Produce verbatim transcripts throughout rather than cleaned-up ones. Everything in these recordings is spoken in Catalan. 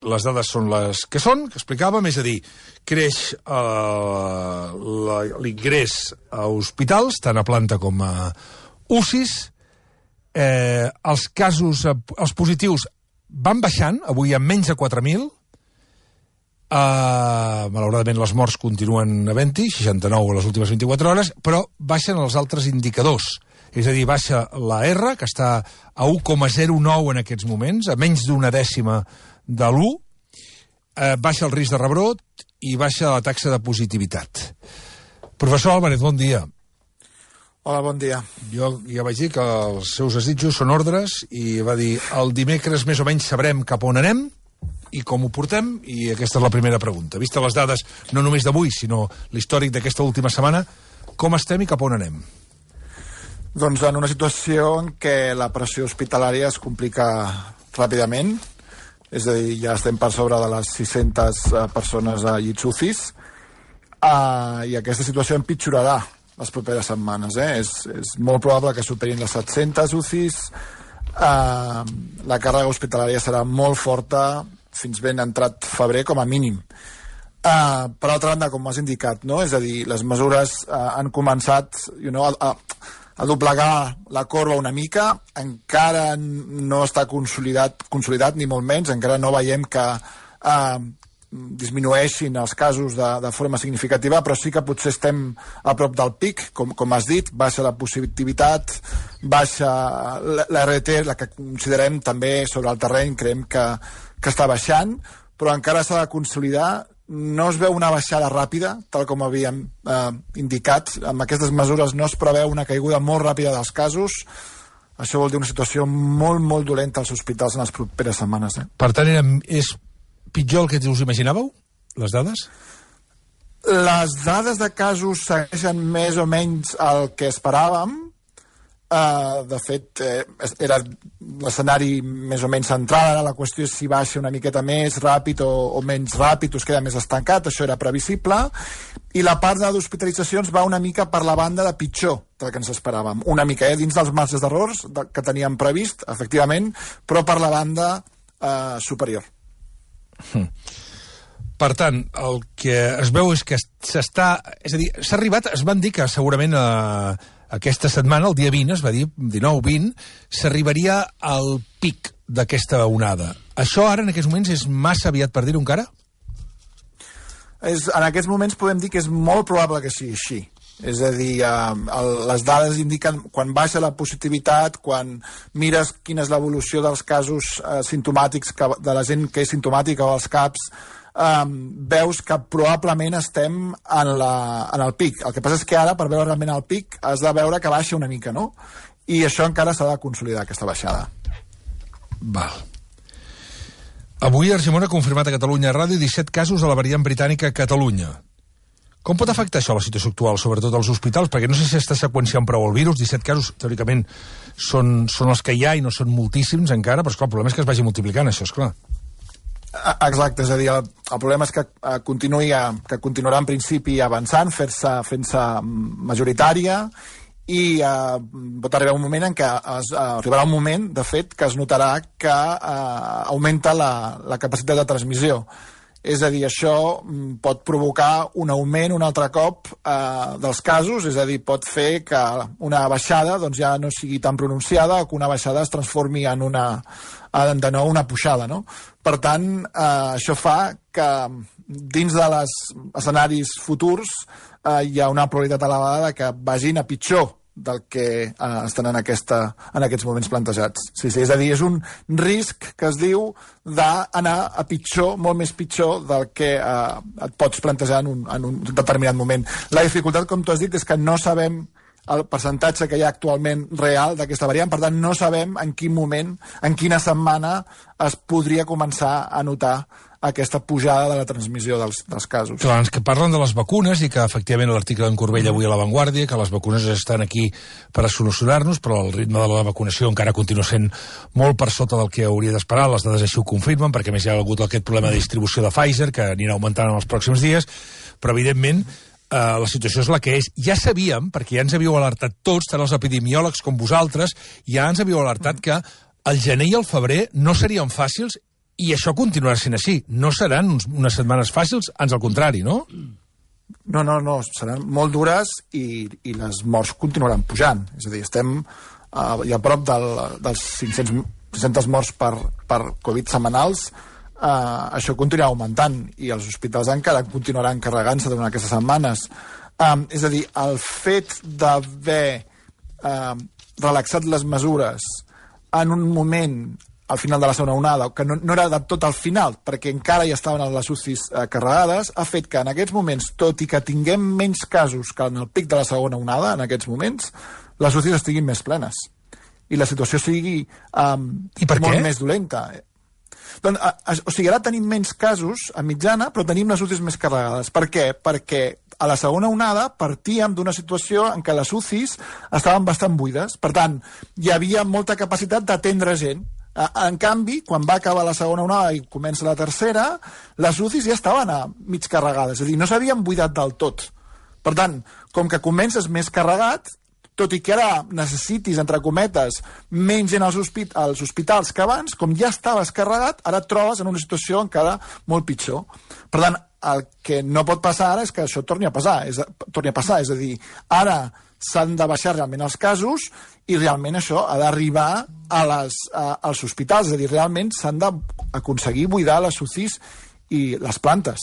les dades són les que són, que explicàvem, és a dir, creix eh, l'ingrés a hospitals, tant a planta com a U C Is, eh, els casos, els positius van baixant, avui hi ha menys de quatre mil, Uh, malauradament les morts continuen havent-hi, seixanta-nou a les últimes vint-i-quatre hores, però baixen els altres indicadors. És a dir, baixa la R, que està a u coma zero nou en aquests moments, a menys d'una dècima de l'u, uh, baixa el risc de rebrot i baixa la taxa de positivitat. Professor Álvarez, bon dia. Hola, bon dia. Jo ja vaig dir que els seus desitjos són ordres i va dir el dimecres més o menys sabrem cap on anem i com ho portem, i aquesta és la primera pregunta. Vista les dades, no només d'avui, sinó l'històric d'aquesta última setmana, com estem i cap on anem? Doncs en una situació en què la pressió hospitalària es complica ràpidament, és a dir, ja estem per sobre de les sis-centes persones a llits U C Is, uh, i aquesta situació empitjorarà les properes setmanes. Eh? És, és molt probable que superin les set-centes U C Is, uh, la càrrega hospitalària serà molt forta, fins ben entrat febrer, com a mínim. Uh, per altra banda, com has indicat, no? És a dir, les mesures uh, han començat you know, a, a, a doblegar la corba una mica, encara no està consolidat, consolidat ni molt menys, encara no veiem que uh, disminueixin els casos de, de forma significativa, però sí que potser estem a prop del pic, com, com has dit, baixa la positivitat, baixa l'R T, la que considerem també sobre el terreny, creiem que que està baixant, però encara s'ha de consolidar. No es veu una baixada ràpida, tal com havíem eh, indicat. Amb aquestes mesures no es preveu una caiguda molt ràpida dels casos. Això vol dir una situació molt, molt dolenta als hospitals en les properes setmanes. Eh? Per tant, era, és pitjor el que us imaginàveu, les dades? Les dades de casos segueixen més o menys el que esperàvem. Uh, de fet, eh, era l'escenari més o menys central. Ara la qüestió és si baixa una miqueta més ràpid o, o menys ràpid, o es queda més estancat. Això era previsible. I la part d'hospitalitzacions va una mica per la banda de pitjor del que ens esperàvem. Una mica, eh, dins dels marges d'errors de, que teníem previst, efectivament, però per la banda eh, superior. Hmm. Per tant, el que es veu és que s'està... És a dir, s'ha arribat... Es van dir que segurament eh, aquesta setmana, el dia vint, es va dir, dinou vint, s'arribaria al pic d'aquesta onada. Això ara, en aquests moments, és massa aviat per dir-ho encara? És, en aquests moments podem dir que és molt probable que sigui així. És a dir, eh, el, les dades indiquen quan baixa la positivitat, quan mires quina és l'evolució dels casos eh, simptomàtics, que, de la gent que és simptomàtica o els CAPs, Um, veus que probablement estem en, la, en el pic. El que passa és que ara, per veure realment el pic, has de veure que baixa una mica, no? I això encara s'ha de consolidar, aquesta baixada. Val. Avui Argimon ha confirmat a Catalunya Ràdio disset casos de la variant britànica a Catalunya. Com pot afectar això la situació actual, sobretot als hospitals? Perquè no sé si està seqüenciant prou el virus. disset casos, teòricament, són, són els que hi ha i no són moltíssims encara, però esclar, el problema és que es vagi multiplicant, això, esclar. Exacte, és a dir, el, el problema és que uh, continuï, uh, que continuarà en principi avançant, fent-se fent-se majoritària, i uh, pot arribar un moment en què es, uh, arribarà un moment, de fet, que es notarà que uh, augmenta la, la capacitat de transmissió. És a dir, això pot provocar un augment un altre cop eh, dels casos, és a dir, pot fer que una baixada doncs, ja no sigui tan pronunciada o que una baixada es transformi en una, en, de nou una pujada, no? Per tant, eh, això fa que dins de les escenaris futurs eh, hi ha una probabilitat elevada de que vagin a pitjor del que eh, estan en, aquesta, en aquests moments plantejats. Sí, sí, és a dir, és un risc que es diu d'anar a pitjor, molt més pitjor del que eh, et pots plantejar en un, en un determinat moment. La dificultat, com tu has dit, és que no sabem el percentatge que hi ha actualment real d'aquesta variant, per tant no sabem en quin moment, en quina setmana es podria començar a notar aquesta pujada de la transmissió dels, dels casos. Clar, que parlen de les vacunes i que efectivament l'article d'en Corbell avui a La Vanguardia, que les vacunes estan aquí per a solucionar-nos, però el ritme de la vacunació encara continua sent molt per sota del que hauria d'esperar, les dades així ho confirmen, perquè més hi ha hagut aquest problema de distribució de Pfizer, que anirà augmentant en els pròxims dies, però evidentment eh, la situació és la que és. Ja sabíem, perquè ja ens havíeu alertat tots, tant els epidemiòlegs com vosaltres, ja ens havíeu alertat que el gener i el febrer no serien fàcils I això continuarà sent així. No seran uns, unes setmanes fàcils, ans al contrari, no? No, no, no, seran molt dures i, i les morts continuaran pujant. És a dir, estem uh, ja a prop del, dels cinc-cents morts per, per Covid setmanals. Uh, això continuarà augmentant i els hospitals encara continuaran carregant-se durant aquestes setmanes. Um, és a dir, el fet d'haver uh, relaxat les mesures en un moment al final de la segona onada, que no, no era de tot al final, perquè encara hi estaven les U C Is eh, carregades, ha fet que en aquests moments, tot i que tinguem menys casos que en el pic de la segona onada, en aquests moments, les U C Is estiguin més plenes. I la situació sigui um, I per molt què? més dolenta. Doncs, a, a, o sigui, ara tenim menys casos a mitjana, però tenim les U C Is més carregades. Per què? Perquè a la segona onada partíem d'una situació en què les U C Is estaven bastant buides. Per tant, hi havia molta capacitat d'atendre gent. En canvi, quan va acabar la segona onada i comença la tercera, les U C Is ja estaven a mig carregades, és a dir, no s'havien buidat del tot. Per tant, com que comences més carregat, tot i que ara necessitis, entre cometes, menys gent als, hospit als hospitals que abans, com ja estaves carregat, ara et trobes en una situació encara molt pitjor. Per tant, el que no pot passar ara és que això torni a passar, és, torni a passar, és a dir, ara s'han de baixar realment els casos i realment això ha d'arribar a les, a, als hospitals, és a dir, realment s'han d'aconseguir buidar les U C Is i les plantes.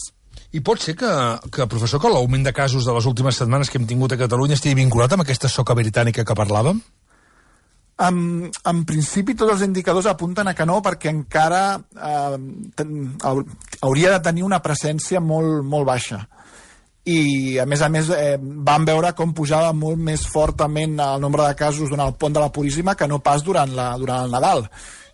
I pot ser que, que professor, que l'augment de casos de les últimes setmanes que hem tingut a Catalunya estigui vinculat amb aquesta soca britànica que parlàvem? En, en principi tots els indicadors apunten a que no, perquè encara eh, ten, hauria de tenir una presència molt, molt baixa. I a més a més eh, vam veure com pujava molt més fortament el nombre de casos durant el pont de la Puríssima que no pas durant, la, durant el Nadal.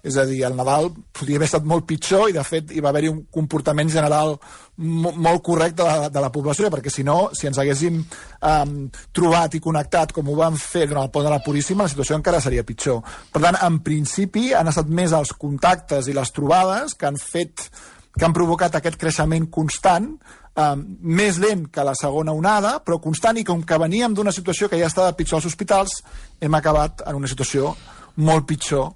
És a dir, el Nadal podria haver estat molt pitjor i de fet hi va haver-hi un comportament general molt correcte de la, de la població, perquè si no, si ens haguéssim um, trobat i connectat com ho vam fer durant el pont de la Puríssima, la situació encara seria pitjor. Per tant, en principi han estat més els contactes i les trobades que han fet que han provocat aquest creixement constant, eh, més lent que la segona onada, però constant, i com que veníem d'una situació que ja estava pitjor als hospitals, hem acabat en una situació molt pitjor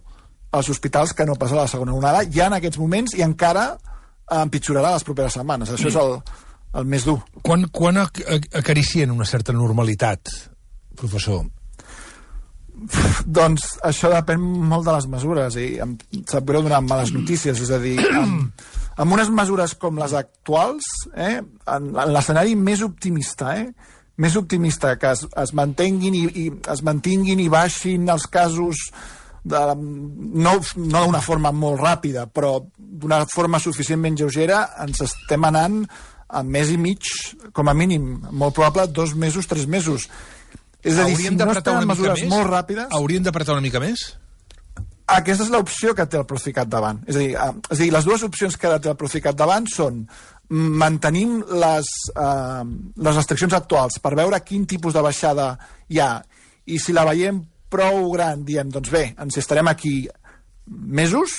als hospitals que no passa la segona onada, ja en aquests moments, i encara empitjorarà les properes setmanes. Això és el, el més dur. Quan, quan acaricien una certa normalitat, professor? Doncs això depèn molt de les mesures i em sap greu donar males notícies, és a dir, amb, amb unes mesures com les actuals, eh, en, en l'escenari més optimista, eh, més optimista, que es, es mantenguin i, i es mantinguin i baixin els casos de, no, no d'una forma molt ràpida, però d'una forma suficientment lleugera, ens estem anant a mes i mig, com a mínim, molt probable, dos mesos, tres mesos. És a dir, si no es tenen mesures molt ràpides... Hauríem d'apretar una mica més? Aquesta és l'opció que té el Procicat davant. És a dir, eh, és a dir, les dues opcions que té el Procicat davant són mantenim les, eh, les restriccions actuals per veure quin tipus de baixada hi ha, i si la veiem prou gran, diem, doncs bé, ens estarem aquí mesos,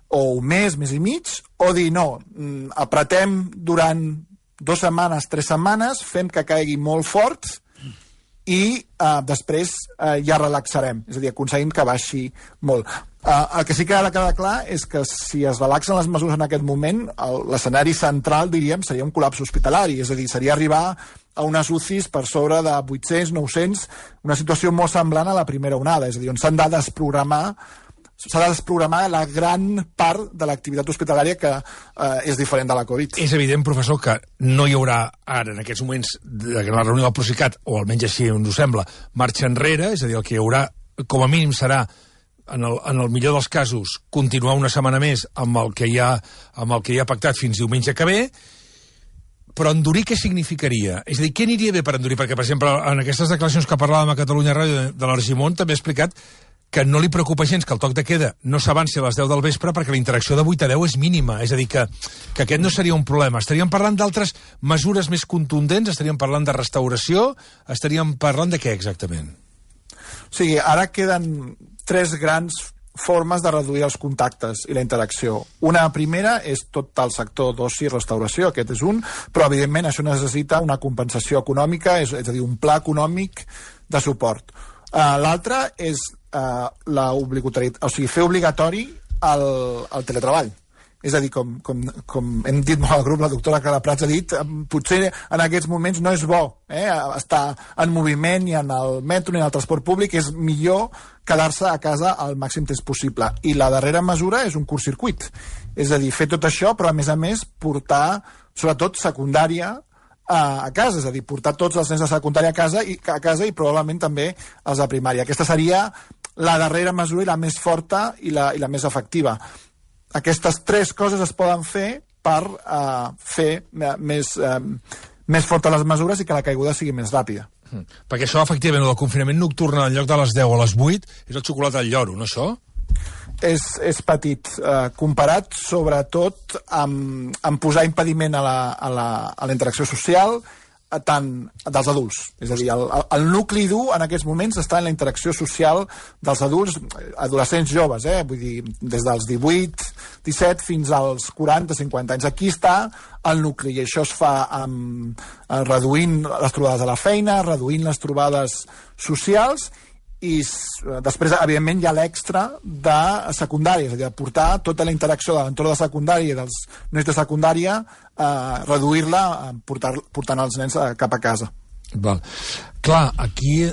o un mes, mes i mig, o dir, no, apretem durant dues setmanes, tres setmanes, fem que caigui molt fort, i uh, després uh, ja relaxarem, és a dir, aconseguim que baixi molt. Uh, el que sí que ha de quedar clar és que si es relaxen les mesures en aquest moment, l'escenari central, diríem, seria un col·lapse hospitalari, és a dir, seria arribar a unes U C Is per sobre de vuit-cents, nou-cents, una situació molt semblant a la primera onada, és a dir, on s'han de desprogramar s'ha de desprogramar la gran part de l'activitat hospitalària que eh, és diferent de la Covid. És evident, professor, que no hi haurà ara, en aquests moments, de la reunió del Procicat, o almenys així ens ho sembla, marxa enrere, és a dir, el que hi haurà, com a mínim, serà, en el, en el millor dels casos, continuar una setmana més amb el que hi ha, amb el que hi ha pactat fins diumenge que ve, però endurir què significaria? És a dir, què aniria bé per endurir? Perquè, per exemple, en aquestes declaracions que parlàvem a Catalunya Ràdio de l'Argimon també ha explicat que no li preocupa gens que el toc de queda no s'avanci a les deu del vespre perquè la interacció de vuit a deu és mínima. És a dir, que, que aquest no seria un problema. Estaríem parlant d'altres mesures més contundents? Estaríem parlant de restauració? Estaríem parlant de què exactament? O sigui, ara queden tres grans formes de reduir els contactes i la interacció. Una primera és tot el sector d'oci i restauració, aquest és un, però evidentment això necessita una compensació econòmica, és, és a dir, un pla econòmic de suport. Uh, L'altre és uh, la obligatorietat, o sigui, fer obligatori el, el teletreball. És a dir, com, com, com hem dit molt al grup, la doctora Clara Prats ha dit, potser en aquests moments no és bo eh, estar en moviment ni en el metro ni en el transport públic, és millor quedar-se a casa el màxim temps possible. I la darrera mesura és un curt-circuit. És a dir, fer tot això, però a més a més portar, sobretot, secundària a, a casa, és a dir, portar tots els nens de secundària a casa i, a casa i probablement també els de primària. Aquesta seria la darrera mesura i la més forta i la, i la més efectiva. Aquestes tres coses es poden fer per uh, fer uh, més, uh, més fortes les mesures i que la caiguda sigui més ràpida. Mm. Perquè això, efectivament, el confinament nocturn en lloc de les deu a les vuit és el xocolata al lloro, no això? És, és petit, uh, comparat sobretot amb, amb posar impediment a la, a la, a la interacció social, tant dels adults. És a dir, el, el nucli dur en aquests moments està en la interacció social dels adults, adolescents joves, eh? Vull dir, des dels divuit, disset fins als quaranta, cinquanta anys. Aquí està el nucli, i això es fa amb, reduint les trobades a la feina, reduint les trobades socials, i després, evidentment, hi ha l'extra de secundària, és a dir, de portar tota la interacció de l'entorn de secundària i dels nens de secundària, eh, reduir-la portar, portant els nens cap a casa. Val. Clar, aquí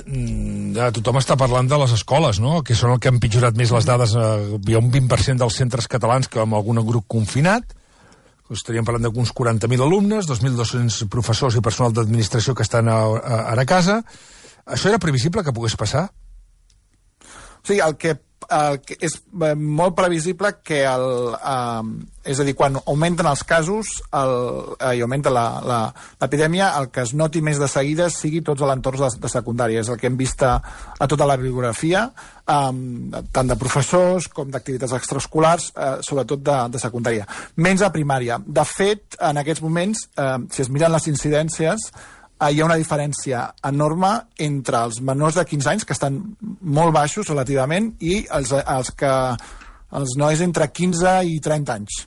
ja, tothom està parlant de les escoles, no?, que són el que han pitjorat més les dades. Eh, hi ha un vint per cent dels centres catalans que amb algun grup confinat, estaríem parlant d'uns quaranta mil alumnes, dos mil dos-cents professors i personal d'administració que estan a, a, ara a casa. Això era previsible que pogués passar? O sigui, el que, el que és molt previsible que el, eh, és a dir, quan augmenten els casos el, eh, i augmenta l'epidèmia, el que es noti més de seguida sigui tots els entorns de, de secundària. És el que hem vist a, a tota la bibliografia, eh, tant de professors com d'activitats extraescolars, eh, sobretot de, de secundària. Menys a primària. De fet, en aquests moments, eh, si es miren les incidències, hi ha una diferència enorme entre els menors de quinze anys, que estan molt baixos relativament, i els, els, que, els nois entre quinze i trenta anys.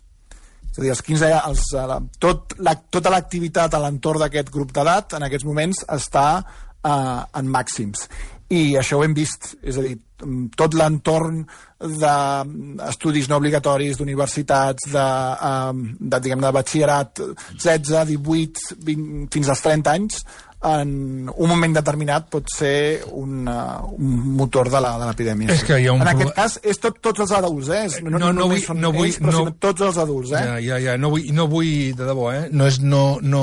És a dir, els quinze, els, tot la, tota l'activitat a l'entorn d'aquest grup d'edat en aquests moments està eh, en màxims. I això ho hem vist, és a dir, tot l'entorn d'estudis no obligatoris, d'universitats, de, de, diguem, de batxillerat, setze, divuit, vint, fins als trenta anys, en un moment determinat pot ser un, uh, un motor de l'epidèmia. És que hi ha un en pro... aquest cas, és tot, tots els adults, eh? No, no, no, no, vull, són no vull, ells, però no... tots els adults, eh? Ja, ja, ja. No vull, no vull, de debò, eh? No és... No, no...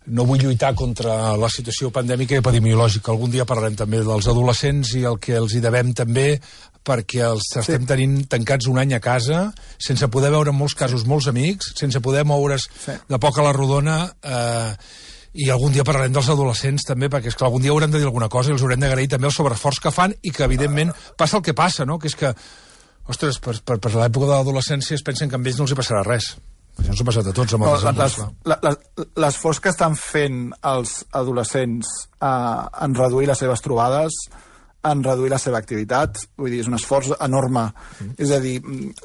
No vull lluitar contra la situació pandèmica i epidemiològica. Algun dia parlarem també dels adolescents i el que els hi devem també, perquè els sí. estem tenint tancats un any a casa, sense poder veure en molts casos molts amics, sense poder moure's sí. de poc a la rodona, eh, i algun dia parlarem dels adolescents també, perquè és que algun dia haurem de dir alguna cosa i els haurem d'agrair també el sobreesforç que fan i que, evidentment, passa el que passa, no?, que és que, ostres, per, per, per l'època de l'adolescència es pensen que a ells no els hi passarà res. Això ens ha passat a tots amb els adults. L'esforç que estan fent els adolescents eh, en reduir les seves trobades, en reduir la seva activitat, vull dir, és un esforç enorme. Mm. És a dir,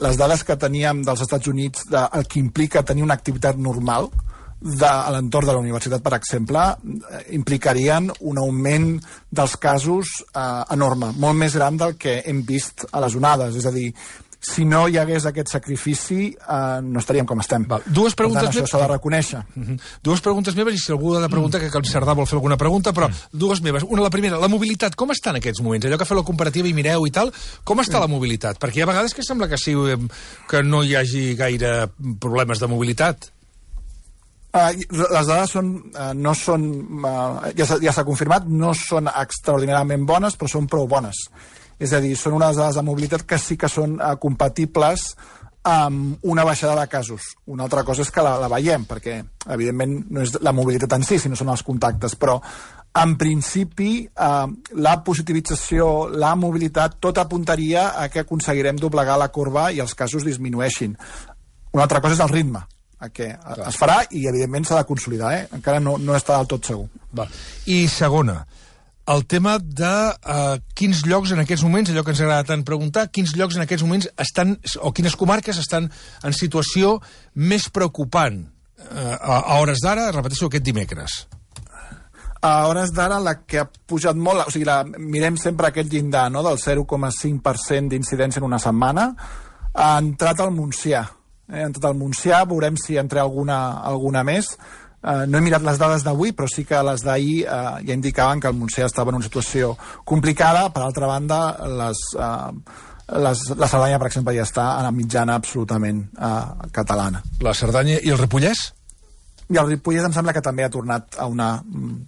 les dades que teníem dels Estats Units, de, el que implica tenir una activitat normal de, a l'entorn de la universitat, per exemple, implicarien un augment dels casos eh, enorme, molt més gran del que hem vist a les onades. És a dir, si no hi hagués aquest sacrifici, eh, no estaríem com estem. Val. Dues preguntes... Per tant, això s'ha de reconèixer. Uh -huh. Dues preguntes meves, i si algú ha de preguntar, mm. que el Cerdà vol fer alguna pregunta, però mm. dues meves. Una, la primera, la mobilitat, com està en aquests moments? Allò que feu la comparativa i mireu i tal, com està mm. la mobilitat? Perquè hi ha vegades que sembla que sí, que no hi hagi gaire problemes de mobilitat. Uh, les dades són, uh, no són, uh, ja s'ha ja confirmat, no són extraordinàriament bones, però són prou bones. És a dir, són unes dades de mobilitat que sí que són uh, compatibles amb una baixada de casos. Una altra cosa és que la, la veiem, perquè, evidentment, no és la mobilitat en si, sinó són els contactes, però, en principi, eh, la positivització, la mobilitat, tot apuntaria a que aconseguirem doblegar la corba i els casos disminueixin. Una altra cosa és el ritme, que Clar. es farà i, evidentment, s'ha de consolidar, eh? Encara no, no està del tot segur. Val. I segona, el tema de uh, quins llocs en aquests moments, allò que ens agrada tant preguntar, quins llocs en aquests moments estan, o quines comarques estan en situació més preocupant uh, a, a hores d'ara, repeteixo, aquest dimecres. A hores d'ara la que ha pujat molt, o sigui, la, mirem sempre aquest llindar, no?, del zero coma cinc per cent d'incidència en una setmana, ha entrat al Montsià. eh, en tot el Montsià. Veurem si entre alguna, alguna més. Uh, no he mirat les dades d'avui, però sí que les d'ahir uh, ja indicaven que el Montsià estava en una situació complicada. Per altra banda, les, uh, les, la Cerdanya, per exemple, ja està a la mitjana absolutament uh, catalana. La Cerdanya i el Ripollès? I el Ripollès em sembla que també ha tornat a una mm,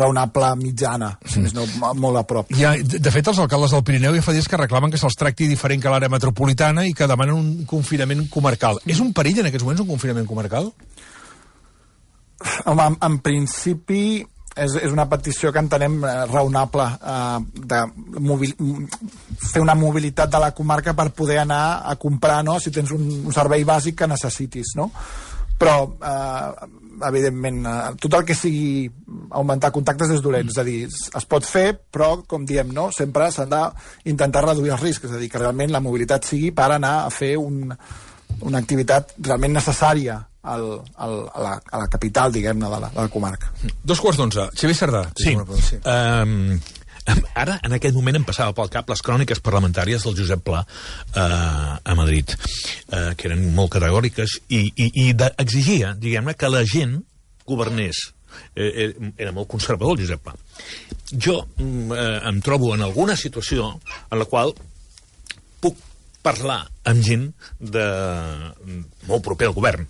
raonable mitjana, si més no, molt a prop. Ja, de fet, els alcaldes del Pirineu ja fa dies que reclamen que se'ls tracti diferent que l'àrea metropolitana i que demanen un confinament comarcal. És un perill en aquests moments un confinament comarcal? Home, en, en principi és, és una petició que entenem eh, raonable eh, de mobil, fer una mobilitat de la comarca per poder anar a comprar, no?, si tens un, un servei bàsic que necessitis, no? Però eh, evidentment eh, tot el que sigui augmentar contactes és dolent, és a dir, es pot fer, però com diem, no?, sempre s'han d'intentar reduir els riscs, és a dir, que realment la mobilitat sigui per anar a fer un, una activitat realment necessària Al, al, a, la, a la capital, diguem-ne, de, la, de la comarca. Dos quarts d'onze. Xavier Cerdà. Sí. sí. Um, ara, en aquest moment, em passava pel cap les cròniques parlamentàries del Josep Pla uh, a Madrid, uh, que eren molt categòriques i, i, i de, exigia, diguem-ne, que la gent governés. Eh, era molt conservador, el Josep Pla. Jo eh, em trobo en alguna situació en la qual puc parlar amb gent de, molt proper al govern.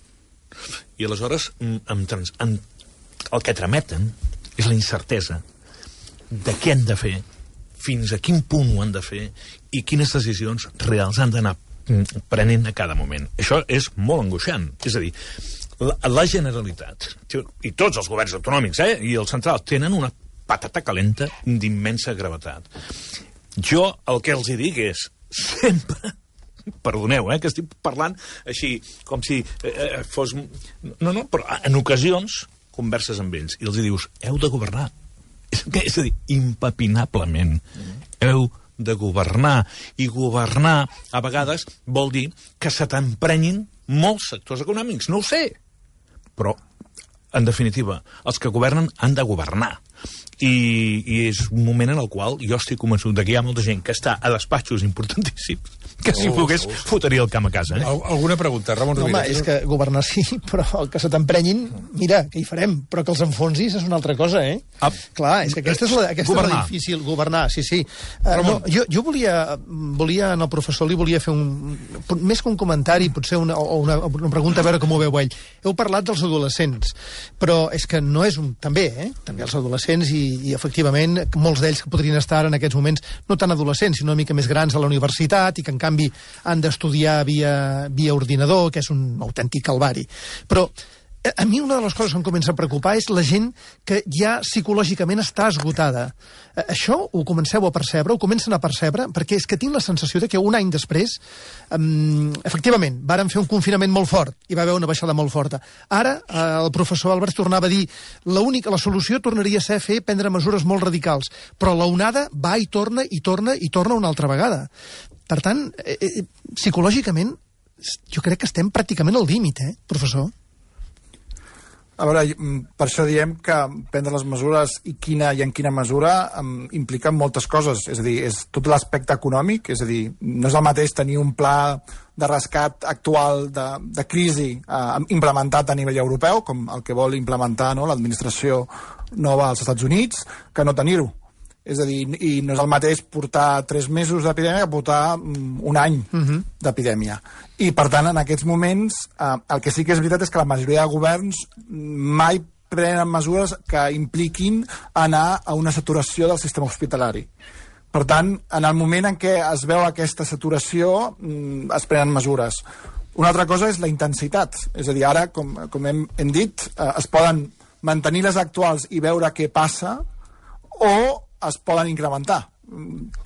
I aleshores em trans, em, el que trameten és la incertesa de què han de fer, fins a quin punt ho han de fer i quines decisions reals han d'anar prenent a cada moment. Això és molt angoixant. És a dir, la, la Generalitat i tots els governs autonòmics eh, i el central tenen una patata calenta d'immensa gravetat. Jo el que els hi dic és sempre... Perdoneu, eh, que estic parlant així, com si eh, fos... No, no, però en ocasions converses amb ells i els hi dius, heu de governar. És, és a dir, impepinablement. Mm. Heu de governar. I governar, a vegades, vol dir que se t'emprenyin molts sectors econòmics. No ho sé. Però, en definitiva, els que governen han de governar. I, i és un moment en el qual jo estic convençut que hi ha molta gent que està a despatxos importantíssims que si oh, pogués oh. fotria el camp a casa. Eh? Al alguna pregunta, Ramon Rovira? Home, és que governar sí, però el que se t'emprenyin, mira, què hi farem? Però que els enfonsis és una altra cosa, eh? Ah, Clar, és que aquesta és la, aquesta és la difícil, governar, sí, sí. Uh, no, jo, jo volia, volia, al professor li volia fer un... Més que un comentari, potser una, o una, una pregunta, a veure com ho veu ell. Heu parlat dels adolescents, però és que no és un... També, eh? També els adolescents i, i efectivament, molts d'ells que podrien estar en aquests moments, no tan adolescents, sinó una mica més grans a la universitat i que en canvi han d'estudiar via, via ordinador, que és un autèntic calvari. Però a mi una de les coses que em comença a preocupar és la gent que ja psicològicament està esgotada. Això ho comenceu a percebre, ho comencen a percebre, perquè és que tinc la sensació de que un any després, um, efectivament, varen fer un confinament molt fort, i va haver una baixada molt forta. Ara, eh, el professor Alberts tornava a dir l'única, la solució tornaria a ser fer prendre mesures molt radicals, però l'onada va i torna, i torna, i torna una altra vegada. Per tant, eh, eh, psicològicament, jo crec que estem pràcticament al límit, eh, professor? A veure, per això diem que prendre les mesures i quina i en quina mesura um, impliquen moltes coses. És a dir, és tot l'aspecte econòmic, és a dir, no és el mateix tenir un pla de rescat actual de, de crisi eh, implementat a nivell europeu, com el que vol implementar, no, l'administració nova als Estats Units, que no tenir-ho. És a dir, i no és el mateix portar tres mesos d'epidèmia que portar um, un any uh-huh. d'epidèmia. I, per tant, en aquests moments, eh, el que sí que és veritat és que la majoria de governs mai prenen mesures que impliquin anar a una saturació del sistema hospitalari. Per tant, en el moment en què es veu aquesta saturació, mm, es prenen mesures. Una altra cosa és la intensitat. És a dir, ara, com, com hem, hem dit, eh, es poden mantenir les actuals i veure què passa, o es poden incrementar.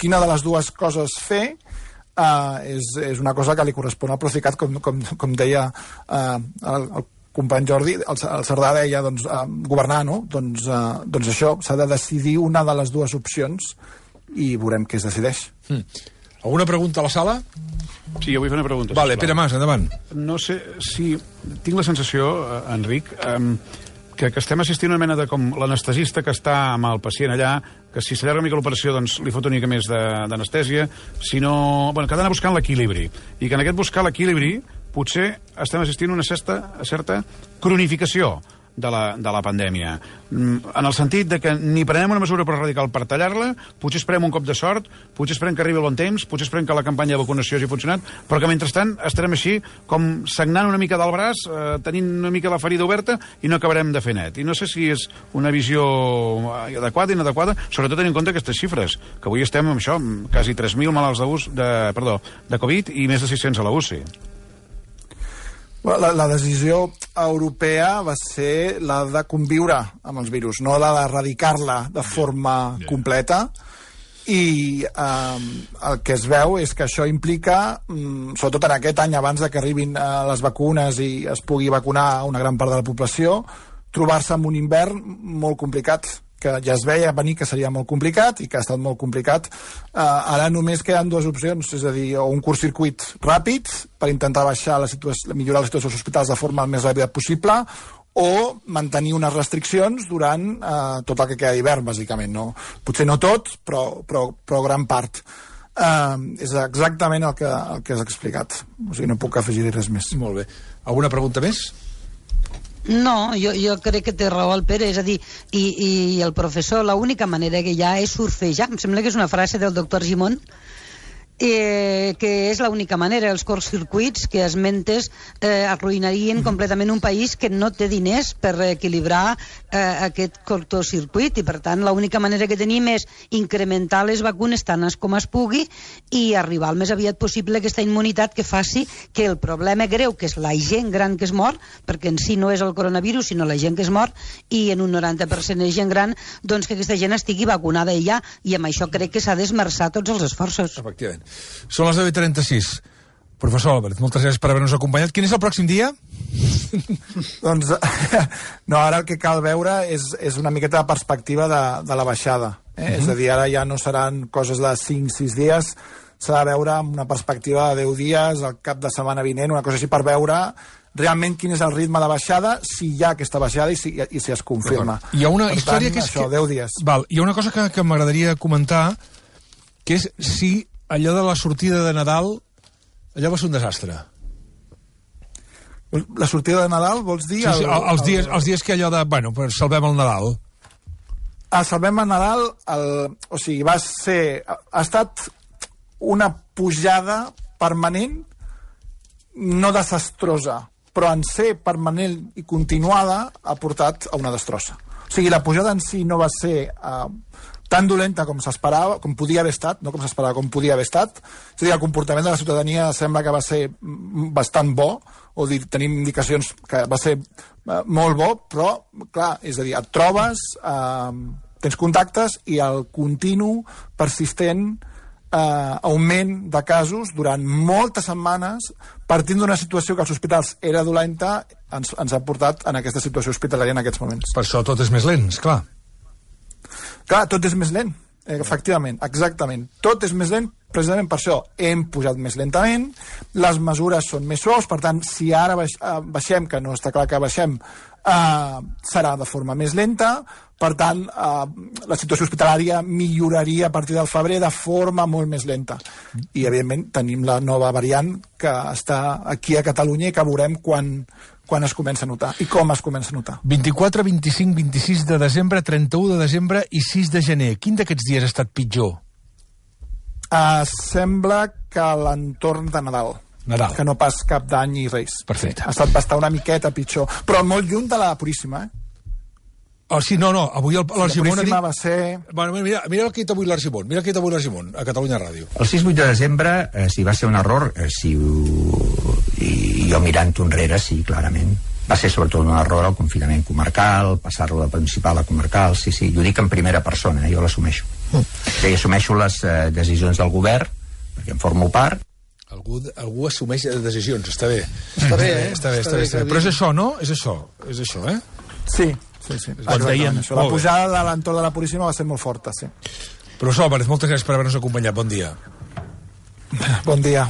Quina de les dues coses fer uh, és, és una cosa que li correspon al Procicat, com, com, com deia uh, el, el company Jordi, el, el Cerdà deia doncs, uh, governar, no? Doncs, uh, doncs això, s'ha de decidir una de les dues opcions i veurem què es decideix. Mm. Alguna pregunta a la sala? Sí, jo vull fer una pregunta. Vale, Pere Mas, endavant. No sé si... Tinc la sensació, Enric, um, que, que estem assistint a una mena de com l'anestesista que està amb el pacient allà, que si s'allarga una mica l'operació doncs li fot una mica més d'anestèsia, si no... Bueno, que ha d'anar buscant l'equilibri. I que en aquest buscar l'equilibri potser estem assistint a una certa, a certa cronificació de la, de la pandèmia. En el sentit de que ni prenem una mesura prou radical per tallar-la, potser esperem un cop de sort, potser esperem que arribi el bon temps, potser esperem que la campanya de vacunació hagi funcionat, però que mentrestant estarem així com sagnant una mica del braç, eh, tenint una mica la ferida oberta i no acabarem de fer net. I no sé si és una visió adequada i inadequada, sobretot tenint en compte aquestes xifres, que avui estem amb això, amb quasi tres mil malalts de, de, perdó, de Covid i més de sis-cents a la U C I. La, la decisió europea va ser la de conviure amb els virus, no la d'erradicar-la de forma yeah, yeah. completa, i eh, el que es veu és que això implica, mm, sobretot en aquest any abans de que arribin eh, les vacunes i es pugui vacunar una gran part de la població, trobar-se amb un hivern molt complicat, que ja es veia venir que seria molt complicat i que ha estat molt complicat. Uh, ara només queden dues opcions, és a dir, o un curt-circuit ràpid per intentar baixar la situació, millorar la situació dels hospitals de forma el més ràpida possible, o mantenir unes restriccions durant uh, tot el que queda d'hivern, bàsicament. No? Potser no tot, però, però, però gran part. Uh, és exactament el que, el que has explicat. O sigui, no puc afegir-hi res més. Molt bé. Alguna pregunta més? No, jo, jo crec que té raó el Pere, és a dir, i, i el professor, l'única manera que hi ha és surfejar. Em sembla que és una frase del doctor Gimón, eh, que és l'única manera. Els curtcircuits que esmentes eh, arruïnarien completament un país que no té diners per equilibrar eh, aquest curtcircuit, i per tant l'única manera que tenim és incrementar les vacunes tant com es pugui i arribar al més aviat possible a aquesta immunitat que faci que el problema greu, que és la gent gran que es mor, perquè en si no és el coronavirus sinó la gent que es mor, i en un noranta per cent és gent gran, doncs que aquesta gent estigui vacunada ja, i amb això crec que s'ha d'esmerçar tots els esforços. Efectivament. Són les deu i trenta-sis. Professor Álvarez, moltes gràcies per haver-nos acompanyat. Quin és el pròxim dia? Doncs, no, ara el que cal veure és, és una miqueta de perspectiva de, de la baixada. Eh? Uh-huh. És a dir, ara ja no seran coses de cinc sis dies, s'ha de veure amb una perspectiva de deu dies, el cap de setmana vinent, una cosa així, per veure realment quin és el ritme de baixada, si hi ha aquesta baixada i si, i si es confirma. Hi ha una per història tant, que és... Això, que... deu dies. Val, hi ha una cosa que, que m'agradaria comentar, que és si allò de la sortida de Nadal, allò va ser un desastre. La sortida de Nadal, vols dir? Sí, sí, el, els, dies, el... els dies que allò de, bueno, pues salvem el Nadal. A Salvem el Nadal, el, o sigui, va ser... Ha estat una pujada permanent, no desastrosa, però en ser permanent i continuada ha portat a una destrossa. O sigui, la pujada en si no va ser... Uh, tan dolenta com s'esperava, com podia haver estat, no com s'esperava, com podia haver estat. És a dir, el comportament de la ciutadania sembla que va ser bastant bo, o dir, tenim indicacions que va ser eh, molt bo, però, clar, és a dir, et trobes, eh, tens contactes i el continu, persistent eh, augment de casos durant moltes setmanes, partint d'una situació que als hospitals era dolenta, ens, ens ha portat en aquesta situació hospitalària en aquests moments. Per això tot és més lent, esclar. Clar, tot és més lent, eh, efectivament, exactament. Tot és més lent, precisament per això. Hem pujat més lentament, les mesures són més suaus, per tant, si ara baix, eh, baixem, que no està clar que baixem, eh, serà de forma més lenta, per tant, eh, la situació hospitalària milloraria a partir del febrer de forma molt més lenta. I, evidentment, tenim la nova variant que està aquí a Catalunya i que veurem quan... quan es comença a notar i com es comença a notar. vint-i-quatre, vint-i-cinc, vint-i-sis de desembre, trenta-u de desembre i sis de gener. Quin d'aquests dies ha estat pitjor? Uh, sembla que l'entorn de Nadal. Nadal. Que no pas cap d'any i Reis. Perfecte. Ha estat bastant una miqueta pitjor, però molt lluny de la Puríssima, eh? Oh, sí, no, no, avui l'Argimon ha dit... va ser... Bueno, mira, mira el que ha dit avui l'Argimon, mira el que ha dit avui l'Argimon, a Catalunya Ràdio. El sis vuit de desembre, eh, si va ser un error, eh, si ho... i jo mirant enrere, sí, clarament. Va ser sobretot un error el confinament comarcal, passar-lo de principal a comarcal, sí, sí, jo dic en primera persona, eh, jo l'assumeixo. Mm. Sí, assumeixo les eh, decisions del govern, perquè en formo part. Algú, algú assumeix decisions, està bé. Està bé, eh? Està bé, està bé, està bé. Però és això, no? És això, és això, eh? Sí. Sí, sí. Quan deien... La pujada de l'entorn de la Puríssima va ser molt forta, sí. Professor Álvarez, moltes gràcies per haver-nos acompanyat. Bon dia. Bon dia.